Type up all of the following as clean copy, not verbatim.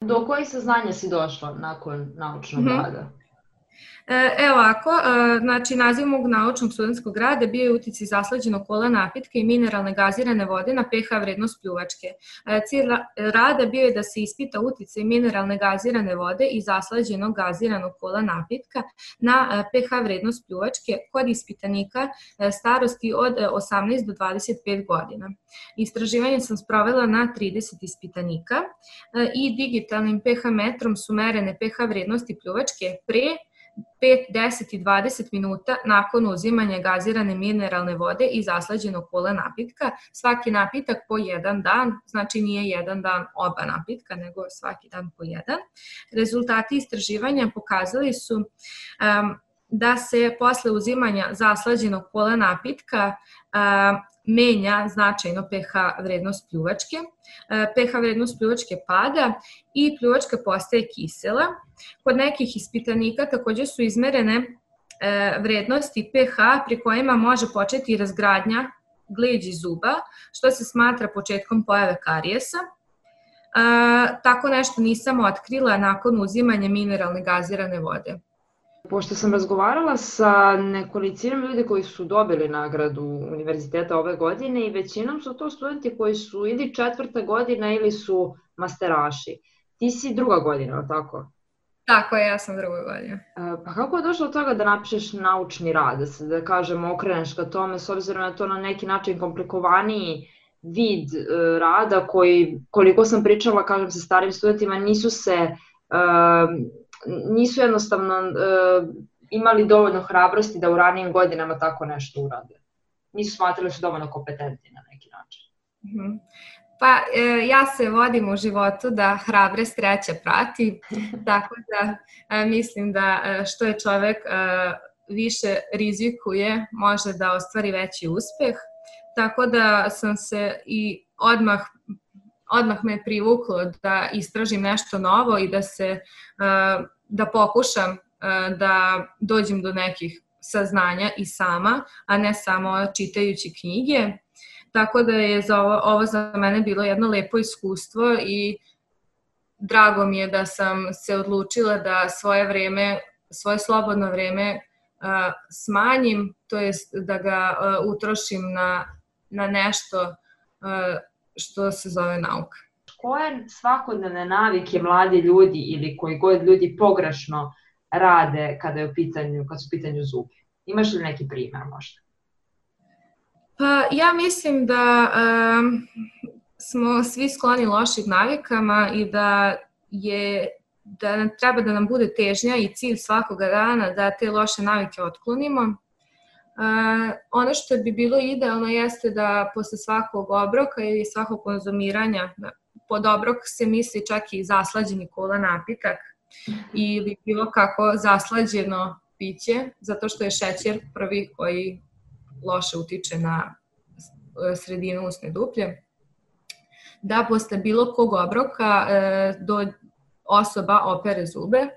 Do kojih saznanja si došla nakon naučnog Mhm. rada? Evo ovako, znači naziv mog naučnog studentskog rada bio je uticaj zaslađenog kola napitka i mineralne gazirane vode na pH vrednost pljuvačke. Cilj rada bio je da se ispita uticaj mineralne gazirane vode i zaslađenog gaziranog kola napitka na pH vrednost pljuvačke kod ispitanika starosti od 18 do 25 godina. Istraživanje sam sprovela na 30 ispitanika i digitalnim pH metrom su merene pH vrednosti pljuvačke pre 5, 10 i 20 minuta nakon uzimanja gazirane mineralne vode i zaslađenog kola napitka. Svaki napitak po jedan dan, znači nije jedan dan oba napitka, nego svaki dan po jedan. Rezultati istraživanja pokazali su da se posle uzimanja zaslađenog kola napitka menja značajno pH vrednost pljuvačke, pH vrednost pljuvačke pada i pljuvačka postaje kisela. Kod nekih ispitanika takođe su izmerene vrednosti pH pri kojima može početi razgradnja gleđi zuba, što se smatra početkom pojave karijesa. Tako nešto nisam otkrila nakon uzimanja mineralne gazirane vode. Pošto sam razgovarala sa nekolicinom ljudi koji su dobili nagradu univerziteta ove godine i većinom su to studenti koji su ili 4. godina ili su masteraši. Ti si 2. godina, ali tako? Tako je, ja sam 2. godina. Pa kako je došlo od toga da napišeš naučni rad, da kažemo okreneš ka tome, s obzirom na to na neki način komplikovaniji vid rada koji, koliko sam pričala, kažem sa starim studentima, nisu jednostavno imali dovoljno hrabrosti da u ranijim godinama tako nešto urade. Nisu smatrali da su dovoljno kompetentni na neki način. Pa ja se vodim u životu da hrabre sreća prati, tako da mislim da što je čovek više rizikuje može da ostvari veći uspeh, tako da sam se i odmah me privuklo da istražim nešto novo i da pokušam da dođem do nekih saznanja i sama, a ne samo čitajući knjige. Tako da je ovo za mene bilo jedno lepo iskustvo i drago mi je da sam se odlučila da svoje slobodno vreme smanjim, to jest da ga utrošim na nešto što se zove nauka. Koje svakodnevne navike mladi ljudi ili koji god ljudi pogrešno rade kad su u pitanju zubi? Imaš li neki primer možda? Pa ja mislim da smo svi skloni lošim navikama i da treba da nam bude težnja i cilj svakoga dana da te loše navike otklonimo. Ono što bi bilo idealno jeste da posle svakog obroka ili svakog konzumiranja, pod obrok se misli čak i zaslađeni kola napitak ili bilo kako zaslađeno piće, zato što je šećer prvi koji loše utiče na sredinu usne duplje, da posle bilo kog obroka osoba opere zube,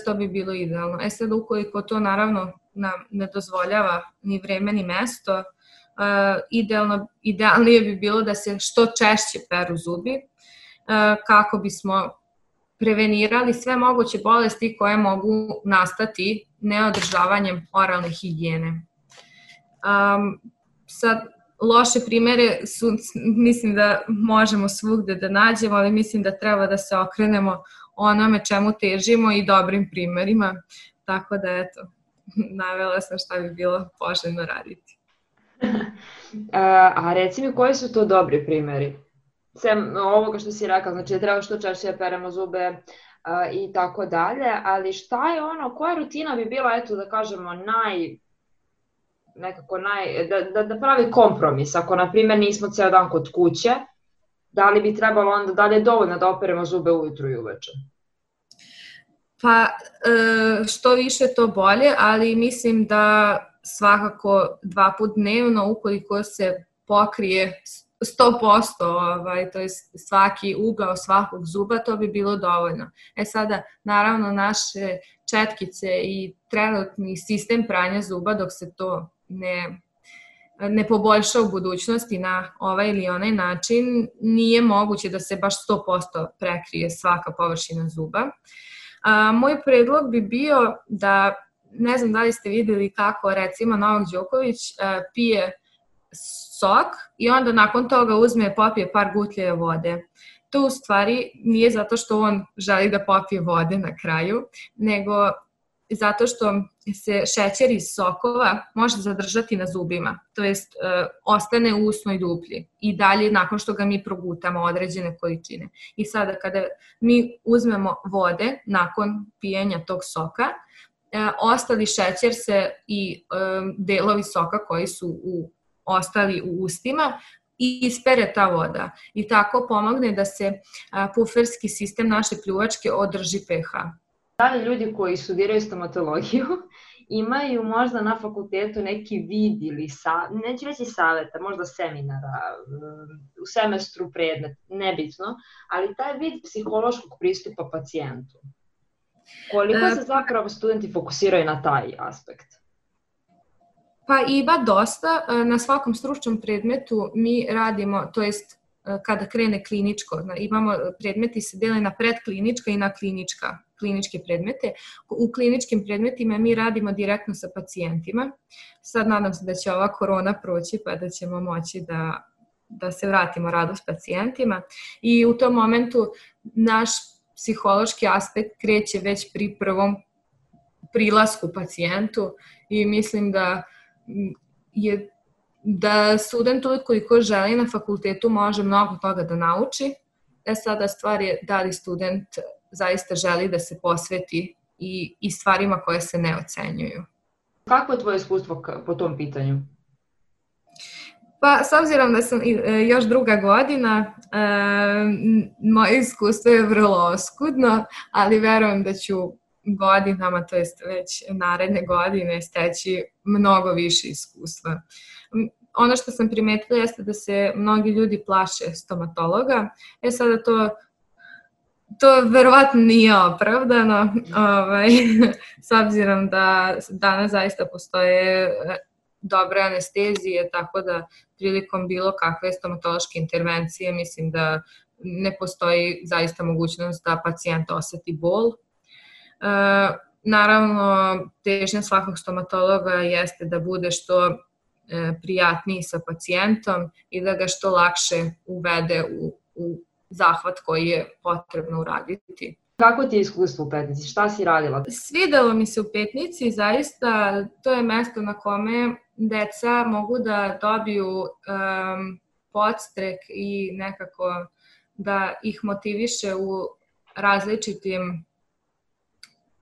to bi bilo idealno. Sad ukoliko to naravno nam ne dozvoljava ni vreme ni mesto, idealnije bi bilo da se što češće peru zubi kako bismo prevenirali sve moguće bolesti koje mogu nastati neodržavanjem oralne higijene. Sad, loše primere mislim da možemo svugde da nađemo, ali mislim da treba da se okrenemo onome čemu težimo i dobrim primerima, tako da eto, navela sam šta bi bilo poželjno raditi. A reci mi koji su to dobri primeri? Sem ovoga što si rekao, znači da treba što češće peremo zube i tako dalje, ali šta je koja rutina bi bila, eto da kažemo, da pravi kompromis, ako na primjer nismo ceo dan kod kuće, da li bi trebalo onda, da li je dovoljno da operemo zube ujutru i uveče? Pa što više to bolje, ali mislim da svakako 2 puta dnevno ukoliko se pokrije 100%, to je svaki ugao svakog zuba, to bi bilo dovoljno. Sada, naravno, naše četkice i trenutni sistem pranja zuba, dok se to ne poboljša u budućnosti na ovaj ili onaj način, nije moguće da se baš 100% prekrije svaka površina zuba. Moj predlog bi bio da, ne znam da li ste videli kako recimo Novak Đoković pije sok i onda nakon toga popije par gutlje vode. To u stvari nije zato što on želi da popije vode na kraju, nego zato što se šećer iz sokova može zadržati na zubima, to jest ostane u usnoj duplji i dalje nakon što ga mi progutamo određene količine. I sada kada mi uzmemo vode nakon pijenja tog soka, ostali šećer se i delovi soka koji su ostali u ustima i ispere ta voda i tako pomogne da se puferski sistem naše pljuvačke održi pH. Da li ljudi koji studiraju stomatologiju imaju možda na fakultetu neki vid ili, neću reći saveta, možda seminara, u semestru predmet, nebitno, ali taj vid psihološkog pristupa pacijentu? Koliko se zapravo studenti fokusiraju na taj aspekt? Pa ima dosta. Na svakom stručnom predmetu mi radimo, to jest kada krene kliničko, imamo predmeti se dele na predklinička i na kliničke predmete. U kliničkim predmetima mi radimo direktno sa pacijentima. Sad nadam se da će ova korona proći pa da ćemo moći da se vratimo radu s pacijentima i u tom momentu naš psihološki aspekt kreće već pri prvom prilasku pacijentu i mislim da student koliko želi na fakultetu može mnogo toga da nauči. Sada stvar je da li student zaista želi da se posveti i stvarima koje se ne ocenjuju. Kako je tvoje iskustvo po tom pitanju? Pa, s obzirom da sam još druga godina, moje iskustvo je vrlo oskudno, ali verujem da ću godinama, to jest već naredne godine, steći mnogo više iskustva. Ono što sam primetila jeste da se mnogi ljudi plaše stomatologa. Sada to verovatno nije opravdano, s obzirom da danas zaista postoje dobre anestezije, tako da prilikom bilo kakve stomatološke intervencije mislim da ne postoji zaista mogućnost da pacijent oseti bol. Naravno, težnja svakog stomatologa jeste da bude što prijatniji sa pacijentom i da ga što lakše uvede u zahvat koji je potrebno uraditi. Kako ti je iskustvo u Petnici? Šta si radila? Svidelo mi se u Petnici, zaista to je mesto na kome deca mogu da dobiju podstrek i nekako da ih motiviše u različitim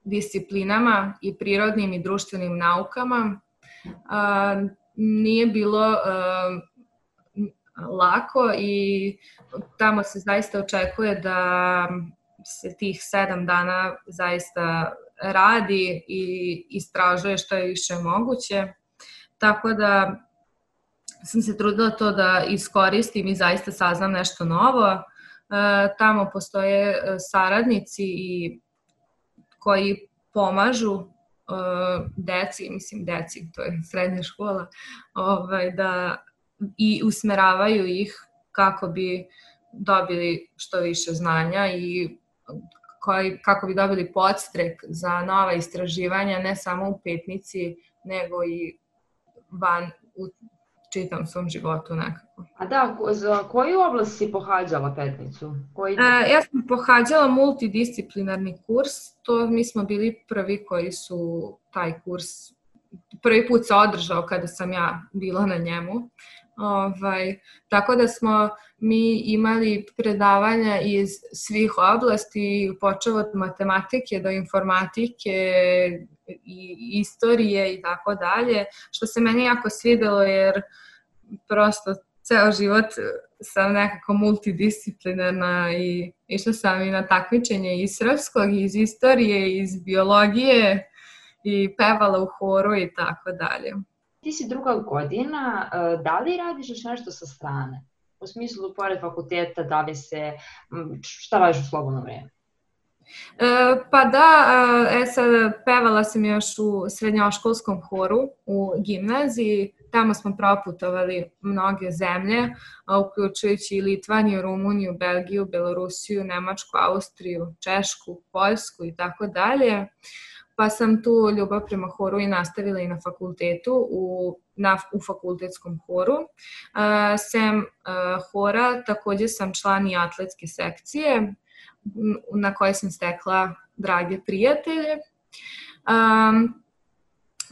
disciplinama i prirodnim i društvenim naukama. Nije bilo lako i tamo se zaista očekuje da se tih 7 dana zaista radi i istražuje što je više moguće. Tako da sam se trudila to da iskoristim i zaista saznam nešto novo. Tamo postoje saradnici koji pomažu deci, to je srednja škola, i usmeravaju ih kako bi dobili što više znanja i kako bi dobili podstrek za nova istraživanja, ne samo u Petnici, nego i van u čitam svom životu nekako. A da, za koju oblast si pohađala Petnicu? Ja sam pohađala multidisciplinarni kurs, mi smo bili prvi koji su taj kurs, prvi put se održao kada sam ja bila na njemu. Tako da smo mi imali predavanja iz svih oblasti, počev od matematike do informatike i istorije i tako dalje, što se meni jako svidelo jer prosto ceo život sam nekako multidisciplinarna i išla sam i na takmičenje iz srpskog, iz istorije, iz biologije i pevala u horu i tako dalje. Ti si druga godina, da li radiš još nešto sa strane? U smislu, pored fakulteta, šta radiš u slobodno vreme? Pa da, sad pevala sam još u srednjoškolskom horu u gimnaziji, tamo smo proputovali mnoge zemlje, uključujući i Litvaniju, Rumuniju, Belgiju, Belorusiju, Nemačku, Austriju, Češku, Poljsku i tako dalje. Pa sam tu ljubav prema horu i nastavila i na fakultetu, u fakultetskom horu. Sem hora, takođe sam član i atletske sekcije, na kojoj sam stekla drage prijatelje.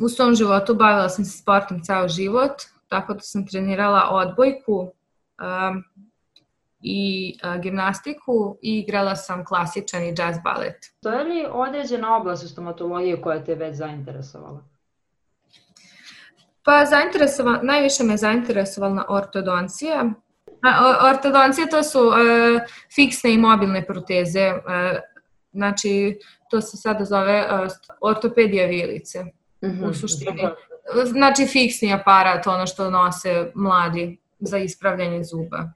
U svom životu bavila sam se sportom ceo život, tako da sam trenirala odbojku i gimnastiku i igrala sam klasičan i jazz balet. To je li određena oblast u stomatologiji koja te već zainteresovala? Pa najviše me zainteresovala ortodoncija. Ortodoncija to su fiksne i mobilne proteze, znači to se sada zove ortopedija vilice u suštini. Znači fiksni aparat, ono što nose mladi za ispravljanje zuba.